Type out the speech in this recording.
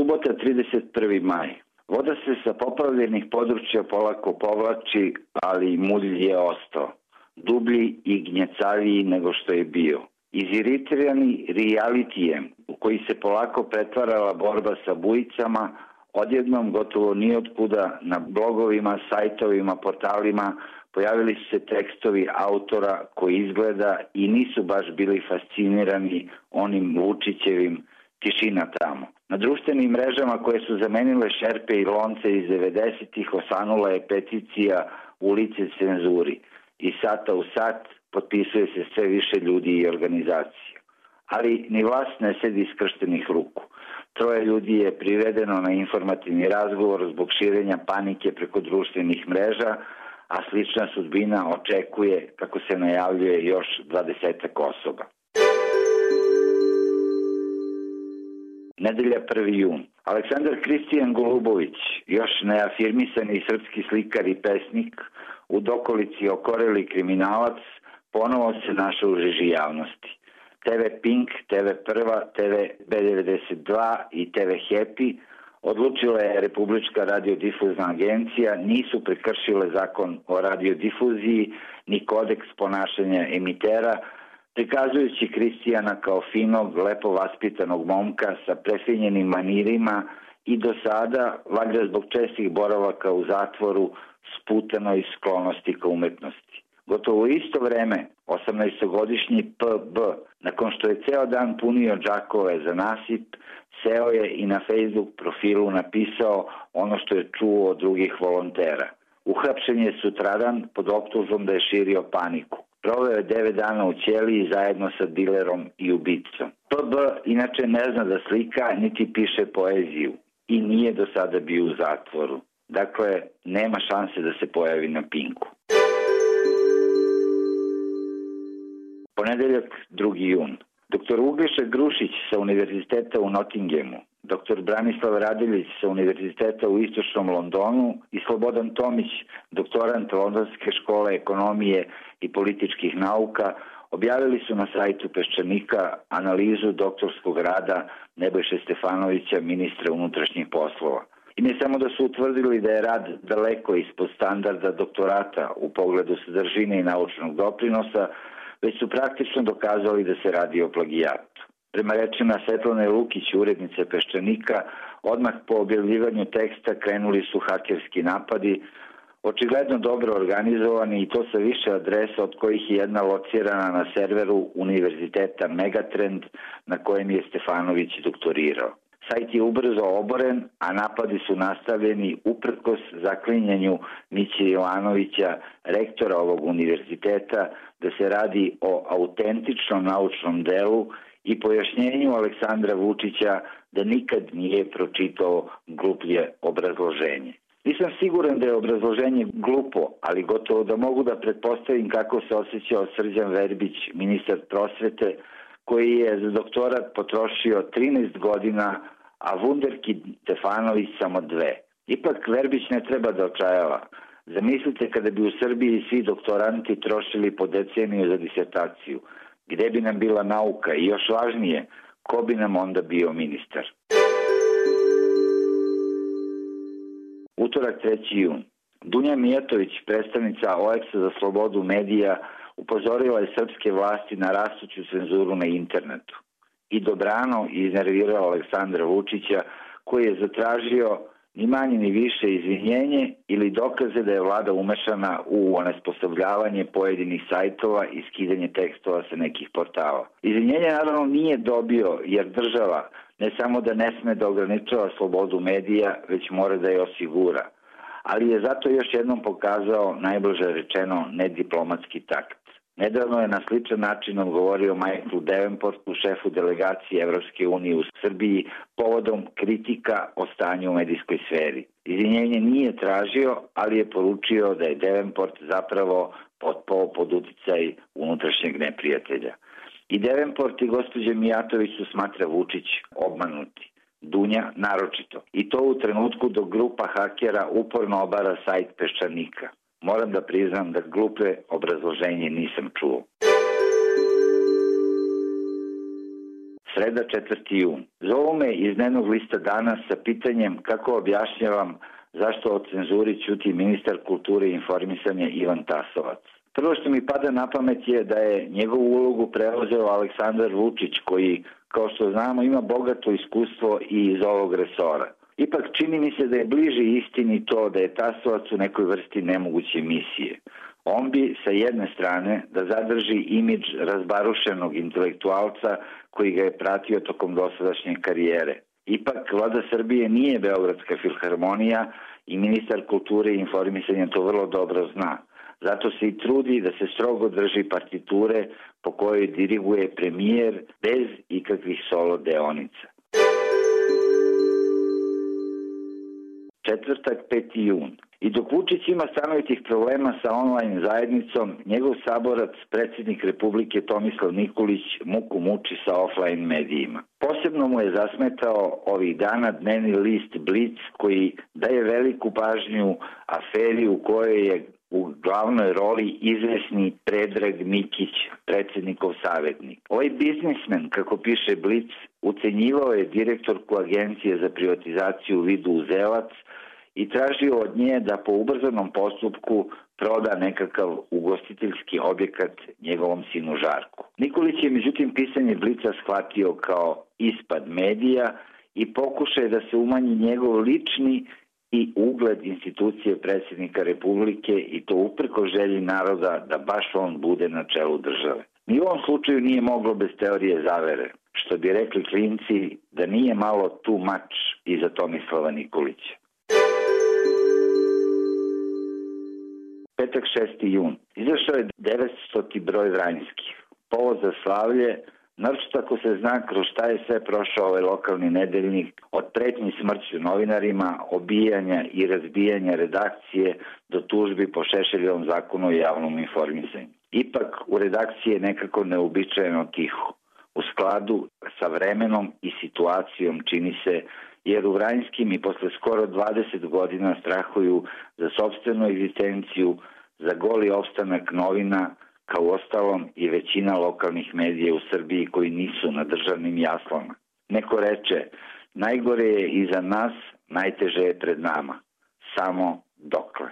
Subota 31. maj. Voda se sa poplavljenih područja polako povlači, ali mulj je ostao. Dublji i gnjecaviji nego što je bio. Iziritirani realitijem u koji se polako pretvarala borba sa bujicama, odjednom gotovo nijotkuda na blogovima, sajtovima, portalima pojavili su se tekstovi autora koji izgleda i nisu baš bili fascinirani onim Vučićevim tišina tamo. Na društvenim mrežama koje su zamenile šerpe i lonce iz 90-ih osanula je peticija Ulice cenzuri. I sata u sat potpisuje se sve više ljudi i organizacija. Ali ni vlast ne sedi skrštenih ruku. 3 ljudi je privedeno na informativni razgovor zbog širenja panike preko društvenih mreža, a slična sudbina očekuje, kako se najavljuje, još 20 osoba. Nedelja 1. jun. Aleksandar Kristijan Golubović, još neafirmisani srpski slikar i pesnik, u dokolici okoreli kriminalac, ponovo se našao u žiži javnosti. TV Pink, TV Prva, TV B92 i TV Happy, odlučila je Republička radiodifuzna agencija, nisu prekršile zakon o radiodifuziji ni kodeks ponašanja emitera, prikazujući Kristijana kao finog, lepo vaspitanog momka sa prefinjenim manirima i do sada, valjda zbog čestih boravaka u zatvoru, sputanoj sklonosti ka umetnosti. Gotovo u isto vreme, 18-godišnji PB, nakon što je ceo dan punio džakove za nasip, seo je i na Facebook profilu napisao ono što je čuo od drugih volontera. Uhapšen je sutradan pod optužbom da je širio paniku. Proveo je 9 dana u ćeliji zajedno sa dilerom i ubicom. PB inače ne zna da slika niti piše poeziju i nije do sada bio u zatvoru. Dakle, nema šanse da se pojavi na Pinku. Ponedeljak 2. jun. Dr. Uglješa Grušić sa Univerziteta u Nottinghamu, dr. Branislav Radeljić sa Univerziteta u Istočnom Londonu i Slobodan Tomić, doktorant Londonske škole ekonomije i političkih nauka, objavili su na sajtu Peščanika analizu doktorskog rada Nebojše Stefanovića, ministra unutrašnjih poslova. I ne samo da su utvrdili da je rad daleko ispod standarda doktorata u pogledu sadržine i naučnog doprinosa, već su praktično dokazali da se radi o plagijatu. Prema rečima Svetlane Lukić, urednice Peščanika, odmah po objavljivanju teksta krenuli su hakerski napadi, očigledno dobro organizovani i to sa više adresa od kojih je jedna locirana na serveru Univerziteta Megatrend na kojem je Stefanović doktorirao. Sajt je ubrzo oboren, a napadi su nastavljeni uprkos zaklinjanju Miće Jovanovića, rektora ovog univerziteta, da se radi o autentičnom naučnom delu i pojašnjenju Aleksandra Vučića da nikad nije pročitao gluplje obrazloženje. Nisam siguran da je obrazloženje glupo, ali gotovo da mogu da pretpostavim kako se osjećao Srđan Verbić, ministar prosvete, koji je za doktorat potrošio 13 godina, a Vunderkid Stefanović samo 2. Ipak Verbić ne treba da očajava. Zamislite kada bi u Srbiji svi doktoranti trošili po deceniju za disertaciju. Gde bi nam bila nauka i još važnije, ko bi nam onda bio ministar? Utorak 3. jun. Dunja Mijatović, predstavnica OEX-a za slobodu medija, upozorila je srpske vlasti na rastuću cenzuru na internetu i dobrano iznervirao Aleksandra Vučića, koji je zatražio ni manje ni više izvinjenje ili dokaze da je vlada umešana u onesposobljavanje pojedinih sajtova i skidanje tekstova sa nekih portala. Izvinjenje naravno nije dobio jer država ne samo da ne sme da ograničava slobodu medija, već mora da je osigura. Ali je zato još jednom pokazao, najbliže rečeno, nediplomatski takt. Nedavno je na sličan način odgovorio Michaelu Davenportu, šefu delegacije Evropske unije u Srbiji, povodom kritika o stanju u medijskoj sferi. Izvinjenje nije tražio, ali je poručio da je Davenport zapravo potpao pod uticaj unutrašnjeg neprijatelja. I Davenport i gospođa Mijatović su, smatra Vučić, obmanuti. Dunja naročito. I to u trenutku dok grupa hakera uporno obara sajt Peščanika. Moram da priznam da glupe obrazloženje nisam čuo. Sreda 4. jun. Zovu me iz dnevnog lista Danas sa pitanjem kako objašnjavam zašto o cenzuri ćuti ministar kulture i informisanja Ivan Tasovac. Prvo što mi pada na pamet je da je njegovu ulogu preuzeo Aleksandar Vučić, koji, kao što znamo, ima bogato iskustvo i iz ovog resora. Ipak čini mi se da je bliže istini to da je Tasovac u nekoj vrsti nemoguće misije. On bi sa jedne strane da zadrži imidž razbarušenog intelektualca koji ga je pratio tokom dosadašnje karijere. Ipak Vlada Srbije nije Beogradska filharmonija i ministar kulture i informisanja to vrlo dobro zna. Zato se i trudi da se strogo drži partiture po kojoj diriguje premijer bez ikakvih solo deonica. Četvrtak, 5. jun. I dok Vučić ima stanovitih problema sa online zajednicom, njegov saborac, predsjednik Republike Tomislav Nikolić, muku muči sa offline medijima. Posebno mu je zasmetao ovih dana dnevni list Blic, koji daje veliku pažnju aferi u kojoj je u glavnoj roli izvesni Predrag Mikić, predsjednikov savjetnik. Ovaj biznismen, kako piše Blic, ucenjivao je direktorku Agencije za privatizaciju Vidu Uzelac i tražio od nje da po ubrzanom postupku proda nekakav ugostiteljski objekat njegovom sinu Žarku. Nikolić je međutim pisanje Blica shvatio kao ispad medija i pokušaj da se umanji njegov lični i ugled institucije predsjednika Republike i to uprko želji naroda da baš on bude na čelu države. Ni u ovom slučaju nije moglo bez teorije zavere, što bi rekli klinci da nije malo too much iza Tomislava Nikolića. Petak 6. jun. Izašao je 900. broj Vranjskih. Povod za slavlje, naročito ako se zna kroz šta je sve prošao ovaj lokalni nedeljnik, od pretnji smrću novinarima, obijanja i razbijanja redakcije do tužbi po Šešeljevom zakonu o javnom informisanju. Ipak u redakciji je nekako neuobičajeno tiho, u skladu sa vremenom i situacijom čini se, jer u Vranjskim i posle skoro 20 godina strahuju za sopstvenu egzistenciju, za goli opstanak novina, kao ostalom i većina lokalnih medija u Srbiji koji nisu na državnim jaslama. Neko reče, najgore je iza nas, najteže je pred nama. Samo dokle.